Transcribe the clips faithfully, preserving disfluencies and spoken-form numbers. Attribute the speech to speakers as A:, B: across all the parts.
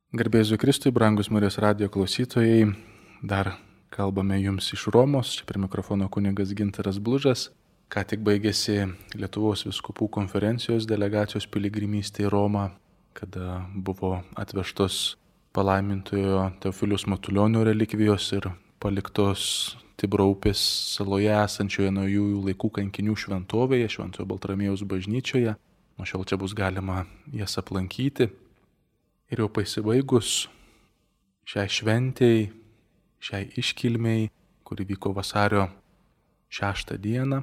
A: Garbėsiu Kristui, brangus Marijos radijo klausytojai, dar kalbame jums iš Romos, čia prie mikrofono kunigas Gintaras Blužas. Ką tik baigėsi Lietuvos vyskupų konferencijos delegacijos piligrimystė į Romą, kada buvo atvežtos palaimintojo Teofiliaus Matulionio relikvijos ir paliktos Tibro upės saloje esančioje naujųjų laikų kankinių šventovėje, Šventojo Baltramiejaus bažnyčioje. Nuo šiol čia bus galima jas aplankyti. Ir jau pasibaigus šiai šventėjai, šiai iškilmei, kuri vyko vasario šeštą dieną,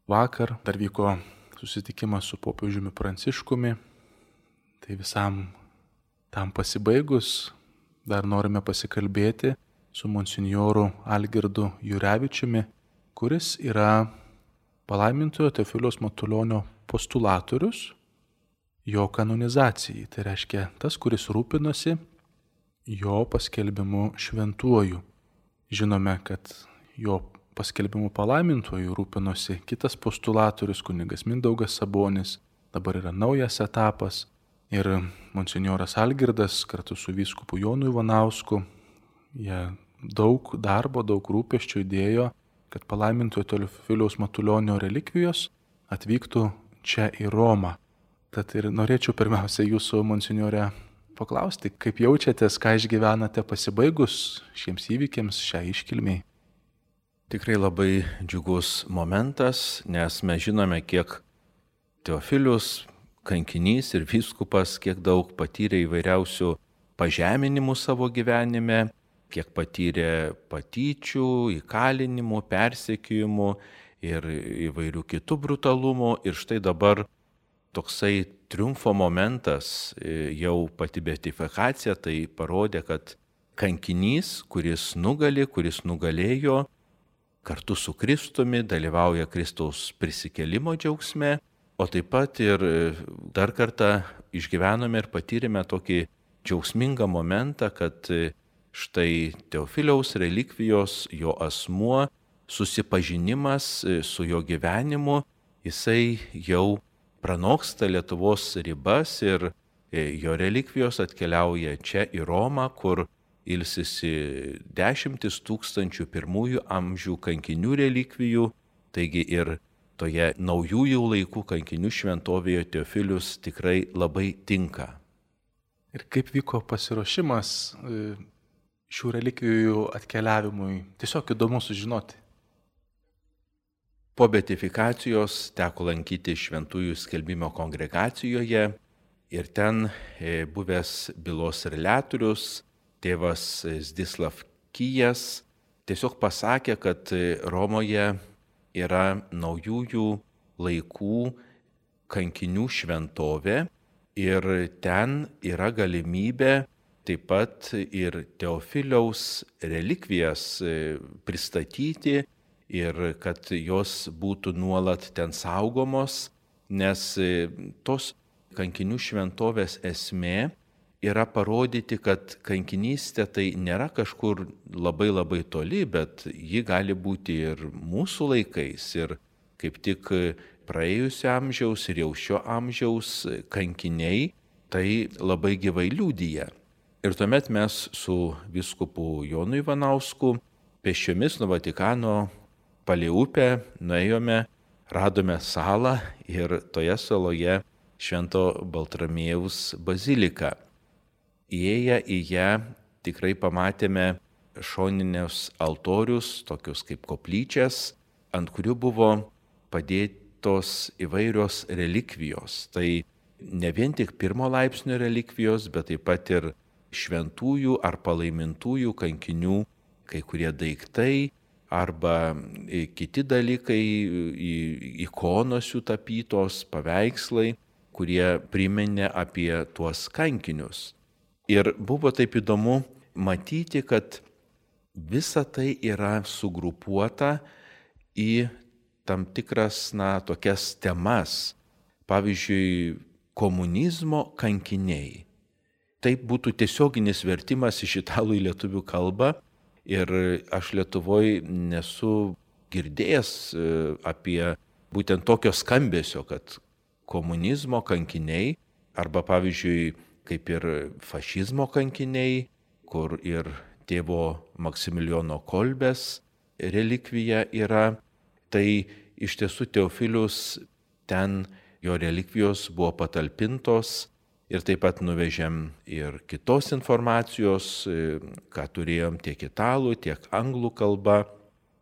A: vakar dar vyko susitikimas su popiežiumi Pranciškumi. Tai visam tam pasibaigus dar norime pasikalbėti su monsinjoru Algirdu Jurevičiumi, kuris yra palaimintojo Teofiliaus Matulionio postulatorius jo kanonizacijai. Tai reiškia tas, kuris rūpinosi jo paskelbimu šventuoju. Žinome, kad jo paskelbimu palaimintuoju rūpinosi kitas postulatorius, kunigas Mindaugas Sabonis. Dabar yra naujas etapas ir monsinjoras Algirdas kartu su vyskupu Jonu Ivanausku, jie daug darbo, daug rūpesčių įdėjo, kad palaimintojo Teofiliaus Matulionio relikvijos atvyktų čia į Romą. Tad ir norėčiau pirmiausia jūsų, monsinjore, paklausti, kaip jaučiatės, ką išgyvenate pasibaigus šiems įvykiams, šią iškilmiai.
B: Tikrai labai džiugus momentas, nes mes žinome, kiek Teofilius, kankinys ir vyskupas, kiek daug patyrė įvairiausių pažeminimų savo gyvenime, kiek patyrė patyčių, įkalinimų, persekiojimų ir įvairių kitų brutalumų. Ir štai dabar toksai triumfo momentas, jau pati beatifikacija, tai parodė, kad kankinys, kuris nugali, kuris nugalėjo, kartu su Kristumi dalyvauja Kristaus prisikėlimo džiaugsme, o taip pat ir dar kartą išgyvenome ir patyrėme tokį džiaugsmingą momentą, kad štai Teofiliaus relikvijos, jo asmuo, susipažinimas su jo gyvenimu, jisai jau pranoksta Lietuvos ribas ir jo relikvijos atkeliauja čia į Romą, kur ilsisi dešimtis tūkstančių pirmųjų amžių kankinių relikvijų, taigi ir toje naujųjų laikų kankinių šventovėje Teofilius tikrai labai tinka.
A: Ir kaip vyko pasiruošimas šių relikvijų atkeliavimui? Tiesiog įdomu sužinoti.
B: Po beatifikacijos teko lankyti šventųjų skelbimo kongregacijoje ir ten buvęs bylos reliatorius, tėvas Zdislav Kijas, tiesiog pasakė, kad Romoje yra naujųjų laikų kankinių šventovė ir ten yra galimybė taip pat ir Teofiliaus relikvijas pristatyti ir kad jos būtų nuolat ten saugomos, nes tos kankinių šventovės esmė yra parodyti, kad kankinystė tai nėra kažkur labai labai toli, bet ji gali būti ir mūsų laikais. Ir kaip tik praėjusio amžiaus ir jau šio amžiaus kankiniai tai labai gyvai liudija. Ir tuomet mes su vyskupu Jonu Ivanausku pėsčiomis nuo Vatikano palei upę nuėjome, radome salą ir toje saloje Švento Baltramiejaus baziliką. Įėję į ją tikrai pamatėme šoninius altorius, tokius kaip koplyčias, ant kurių buvo padėtos įvairios relikvijos. Tai ne vien tik pirmo laipsnio relikvijos, bet taip pat ir šventųjų ar palaimintųjų kankinių kai kurie daiktai, arba kiti dalykai, ikonos jų tapytos, paveikslai, kurie priminė apie tuos kankinius. Ir buvo taip įdomu matyti, kad visa tai yra sugrupuota į tam tikras, na, tokias temas. Pavyzdžiui, komunizmo kankiniai. Tai būtų tiesioginis vertimas iš italų į lietuvių kalbą. Ir aš Lietuvoje nesu girdėjęs apie būtent tokio skambesio, kad komunizmo kankiniai arba pavyzdžiui kaip ir fašizmo kankiniai, kur ir tėvo Maksimilijono Kolbės relikvija yra. Tai iš tiesų Teofilius ten jo relikvijos buvo patalpintos ir taip pat nuvežėm ir kitos informacijos, ką turėjom tiek italų, tiek anglų kalba,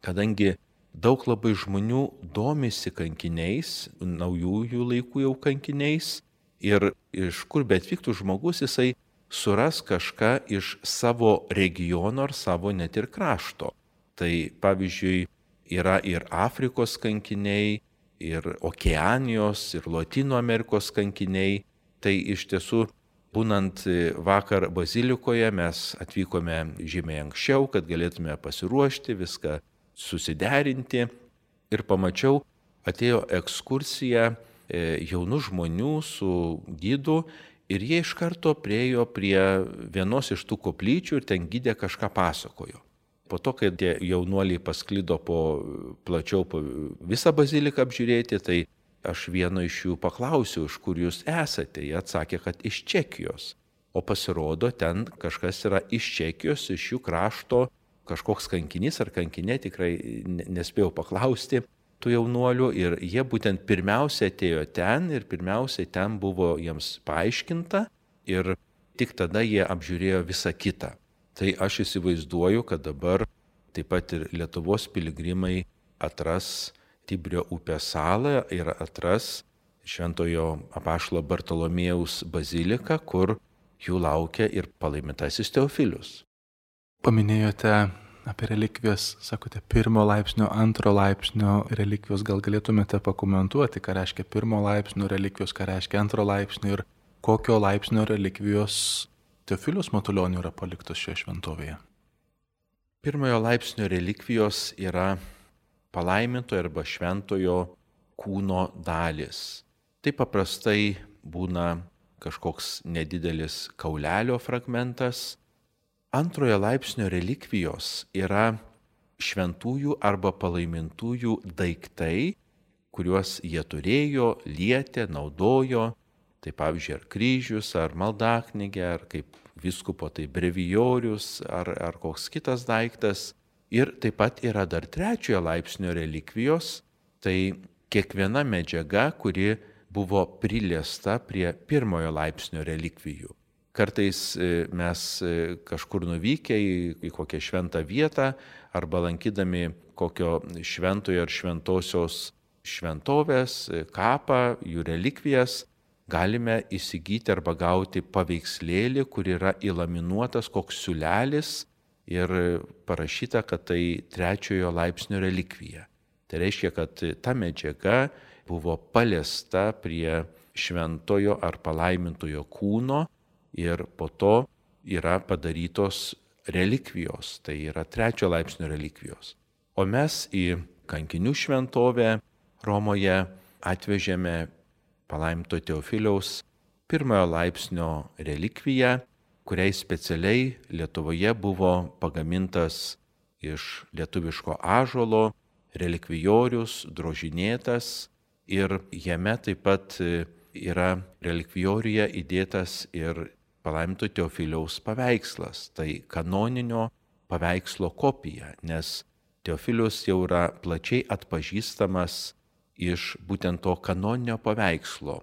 B: kadangi daug labai žmonių domisi kankiniais, naujųjų laikų jau kankiniais ir iš kur betvyktų žmogus, jisai suras kažką iš savo regiono ar savo net ir krašto. Tai pavyzdžiui yra ir Afrikos kankiniai, ir Okeanijos, ir Lotynų Amerikos kankiniai. Tai iš tiesų, būnant vakar bazilikoje, mes atvykome žymiai anksčiau, kad galėtume pasiruošti, viską susiderinti. Ir pamačiau, atėjo ekskursija jaunų žmonių su gidu ir jie iš karto priėjo prie vienos iš tų koplyčių ir ten gidė kažką pasakojo. Po to, kai tie jaunuoliai pasklido po, plačiau po visą baziliką apžiūrėti, tai aš vieno iš jų paklausiau, iš kur jūs esate. Jie atsakė, kad iš Čekijos. O pasirodo, ten kažkas yra iš Čekijos, iš jų krašto, kažkoks kankinys ar kankinė, tikrai nespėjau paklausti tų jaunuolių. Ir jie būtent pirmiausia atėjo ten ir pirmiausia ten buvo jiems paaiškinta ir tik tada jie apžiūrėjo visą kitą. Tai aš įsivaizduoju, kad dabar taip pat ir Lietuvos piligrimai atras Tibrio upės salą ir atras Šventojo apaštalo Bartolomėjaus baziliką, kur jų laukia ir palaimintasis Teofilius.
A: Paminėjote apie relikvijas, sakote, pirmo laipsnio, antro laipsnio relikvijos. Gal galėtumėte pakomentuoti, ką reiškia pirmo laipsnio relikvijos, ką reiškia antro laipsnio ir kokio laipsnio relikvijos Teofilius Matulionių yra paliktos šioje šventovėje?
B: Pirmojo laipsnio relikvijos yra palaimintojo arba šventojo kūno dalis. Tai paprastai būna kažkoks nedidelis kaulelio fragmentas. Antrojo laipsnio relikvijos yra šventųjų arba palaimintųjų daiktai, kuriuos jie turėjo, lietė, naudojo. Tai pavyzdžiui, ar kryžius, ar maldaknygė, ar kaip vyskupo tai brevijorius, ar, ar koks kitas daiktas. Ir taip pat yra dar trečiojo laipsnio relikvijos, tai kiekviena medžiaga, kuri buvo priliesta prie pirmojo laipsnio relikvijų. Kartais mes kažkur nuvykę į, į kokią šventą vietą arba lankydami kokio šventojo ar šventosios šventovės, kapą, jų relikvijas, galime įsigyti arba gauti paveikslėlį, kur yra įlaminuotas koks siūlelis ir parašyta, kad tai trečiojo laipsnio relikvija. Tai reiškia, kad ta medžiaga buvo paliesta prie šventojo ar palaimintojo kūno ir po to yra padarytos relikvijos, tai yra trečiojo laipsnio relikvijos. O mes į kankinių šventovę Romoje atvežėme palaiminto Teofiliaus pirmojo laipsnio relikviją, kuriai specialiai Lietuvoje buvo pagamintas iš lietuviško ąžuolo relikvijorius, drožinėtas ir jame taip pat yra relikvijoriuje įdėtas ir palaiminto Teofiliaus paveikslas, tai kanoninio paveikslo kopija, nes Teofilius jau yra plačiai atpažįstamas iš būtent to kanoninio paveikslo,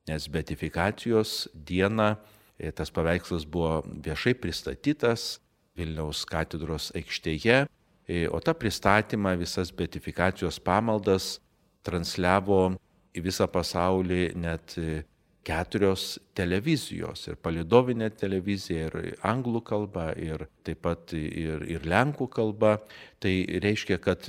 B: nes beatifikacijos dieną tas paveikslas buvo viešai pristatytas Vilniaus katedros aikštėje, o tą pristatymą, visas beatifikacijos pamaldas transliavo į visą pasaulį net keturios televizijos, ir palydovinė televizija, ir anglų kalba, ir taip pat ir, ir lenkų kalba. Tai reiškia, kad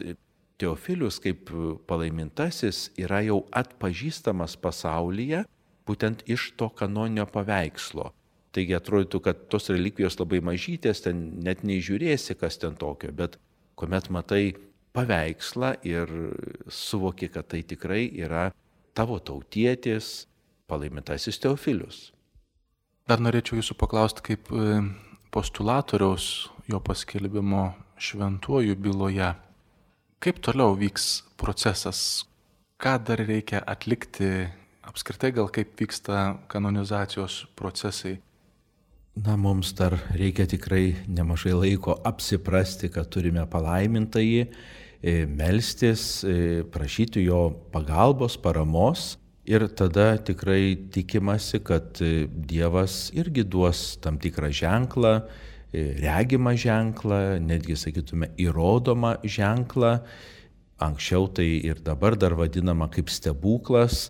B: Teofilius kaip palaimintasis yra jau atpažįstamas pasaulyje būtent iš to kanoninio paveikslo. Taigi atrodytų, kad tos relikvijos labai mažytės, ten net neįžiūrėsi, kas ten tokio, bet kuomet matai paveikslą ir suvoki, kad tai tikrai yra tavo tautietis, palaimintasis Teofilius.
A: Dar norėčiau jūsų paklausti, kaip postulatoriaus jo paskelbimo šventuoju byloje. Kaip toliau vyks procesas? Ką dar reikia atlikti? Apskritai gal kaip vyksta kanonizacijos procesai?
B: Na, mums dar reikia tikrai nemažai laiko apsiprasti, kad turime palaimintąjį, melstis, prašyti jo pagalbos, paramos ir tada tikrai tikimasi, kad Dievas irgi duos tam tikrą ženklą, regimą ženklą, netgi sakytume įrodomą ženklą. Anksčiau tai ir dabar dar vadinama kaip stebuklas.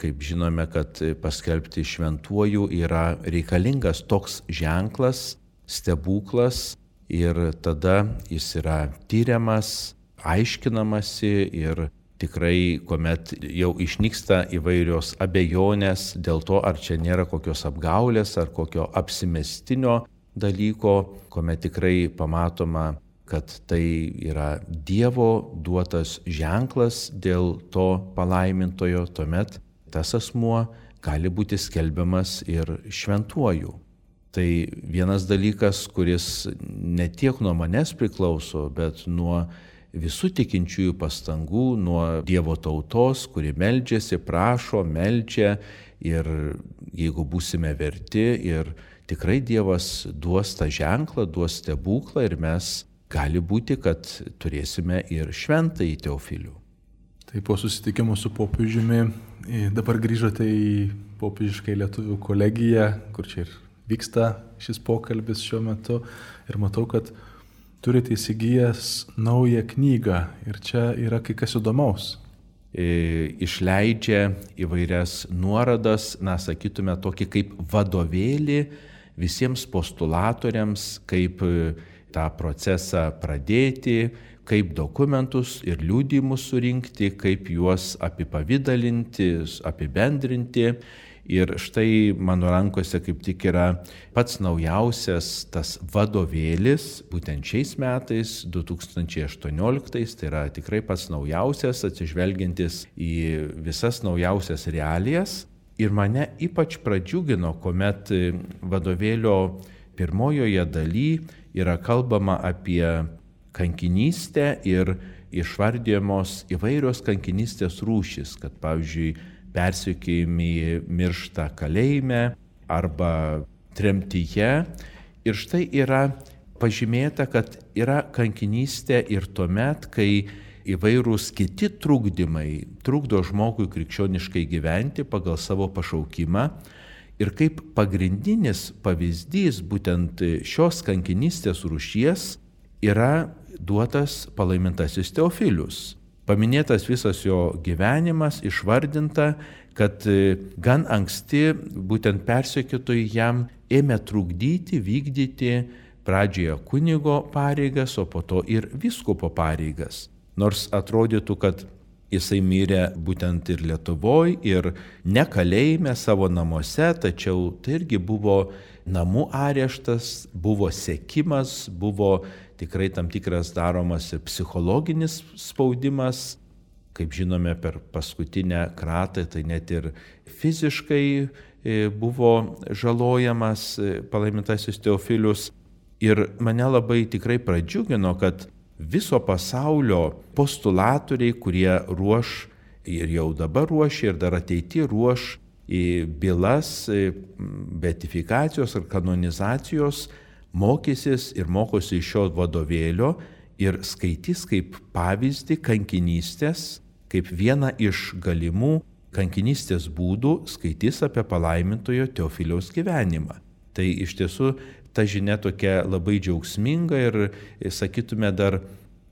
B: Kaip žinome, kad paskelbti šventuoju yra reikalingas toks ženklas, stebuklas ir tada jis yra tyriamas, aiškinamasi ir tikrai, kuomet jau išnyksta įvairios abejonės dėl to, ar čia nėra kokios apgaulės ar kokio apsimestinio dalyko, kuomet tikrai pamatoma, kad tai yra Dievo duotas ženklas dėl to palaimintojo, tuomet tas asmuo gali būti skelbiamas ir šventuoju. Tai vienas dalykas, kuris ne tiek nuo manęs priklauso, bet nuo visų tikinčiųjų pastangų, nuo Dievo tautos, kuri meldžiasi, prašo, meldžia ir jeigu būsime verti ir tikrai Dievas duos tą ženklą, duos stebuklą ir mes gali būti, kad turėsime ir šventąjį Teofilių.
A: Tai po susitikimo su popiežiumi dabar grįžote į popiežiškai lietuvių kolegiją, kur čia ir vyksta šis pokalbis šiuo metu ir matau, kad turite įsigijęs naują knygą ir čia yra kai kas įdomaus.
B: Išleidžia įvairias nuorodas, na, sakytume, tokį kaip vadovėlį visiems postulatoriams, kaip tą procesą pradėti, kaip dokumentus ir liudijimus surinkti, kaip juos apipavidalinti, apibendrinti. Ir štai mano rankose kaip tik yra pats naujausias tas vadovėlis, būtent šiais metais, du tūkstančiai aštuonioliktais, tai yra tikrai pats naujausias, atsižvelgiantis į visas naujausias realijas. Ir mane ypač pradžiugino, kuomet vadovėlio pirmojoje daly yra kalbama apie kankinystę ir išvardijamos įvairios kankinystės rūšys, kad pavyzdžiui persekiojami miršta kalėjime arba tremtyje. Ir štai yra pažymėta, kad yra kankinystė ir tuomet, kai įvairūs kiti trukdymai trukdo žmogui krikščioniškai gyventi pagal savo pašaukimą. Ir kaip pagrindinis pavyzdys būtent šios kankinystės rūšies yra duotas palaimintasis Teofilius. Paminėtas visas jo gyvenimas, išvardinta, kad gan anksti būtent persekiotojai jam ėmė trukdyti, vykdyti pradžioje kunigo pareigas, o po to ir vyskupo pareigas. Nors atrodytų, kad jisai mirė būtent ir Lietuvoje, ir ne kalėjime savo namuose, tačiau tai irgi buvo namų areštas, buvo sekimas, buvo tikrai tam tikras daromas ir psichologinis spaudimas. Kaip žinome, per paskutinę kratą tai net ir fiziškai buvo žalojamas palaimintasis Teofilius. Ir mane labai tikrai pradžiugino, kad viso pasaulio postulatoriai, kurie ruoš ir jau dabar ruošia ir dar ateityje ruoš į bylas beatifikacijos ar kanonizacijos, mokysis ir mokosi iš šio vadovėlio ir skaitys kaip pavyzdį kankinystės, kaip vieną iš galimų kankinystės būdų skaitys apie palaimintojo Teofiliaus gyvenimą. Tai iš tiesų ta žinia tokia labai džiaugsminga ir, sakytume, dar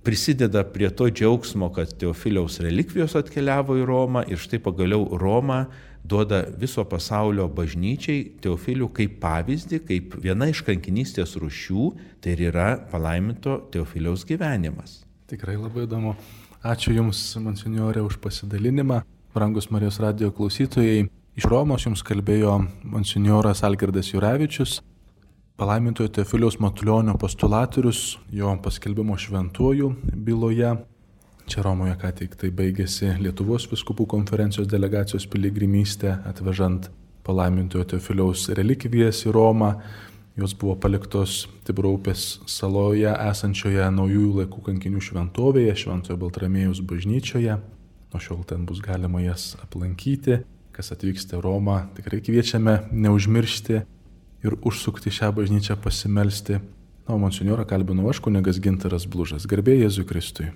B: prisideda prie to džiaugsmo, kad Teofiliaus relikvijos atkeliavo į Romą ir štai pagaliau Roma duoda viso pasaulio bažnyčiai Teofilių kaip pavyzdį, kaip viena iš kankinystės rūšių, tai ir yra palaiminto Teofiliaus gyvenimas.
A: Tikrai labai įdomu. Ačiū Jums, monsinjore, už pasidalinimą. Brangus Marijos radijo klausytojai, iš Romos Jums kalbėjo monsinjoras Algirdas Jurevičius, palaimintojo Teofiliaus Matulionio postulatorius, jo paskelbimo šventuoju byloje. Čia Romoje ką tik tai baigėsi Lietuvos vyskupų konferencijos delegacijos piligrimystė, atvežant palaimintojo Teofiliaus relikvijas į Romą. Jos buvo paliktos Tibro upės saloje esančioje naujųjų laikų kankinių šventovėje, Šventojo Baltramiejaus bažnyčioje. Nuo šiol ten bus galima jas aplankyti. Kas atvyksite į Romą, tikrai kviečiame neužmiršti ir užsukti šią bažnyčią pasimelsti. Na, o monsinjorą kalbinu aš, kunigas Gintaras Blužas. Garbė Jėzui Kristui.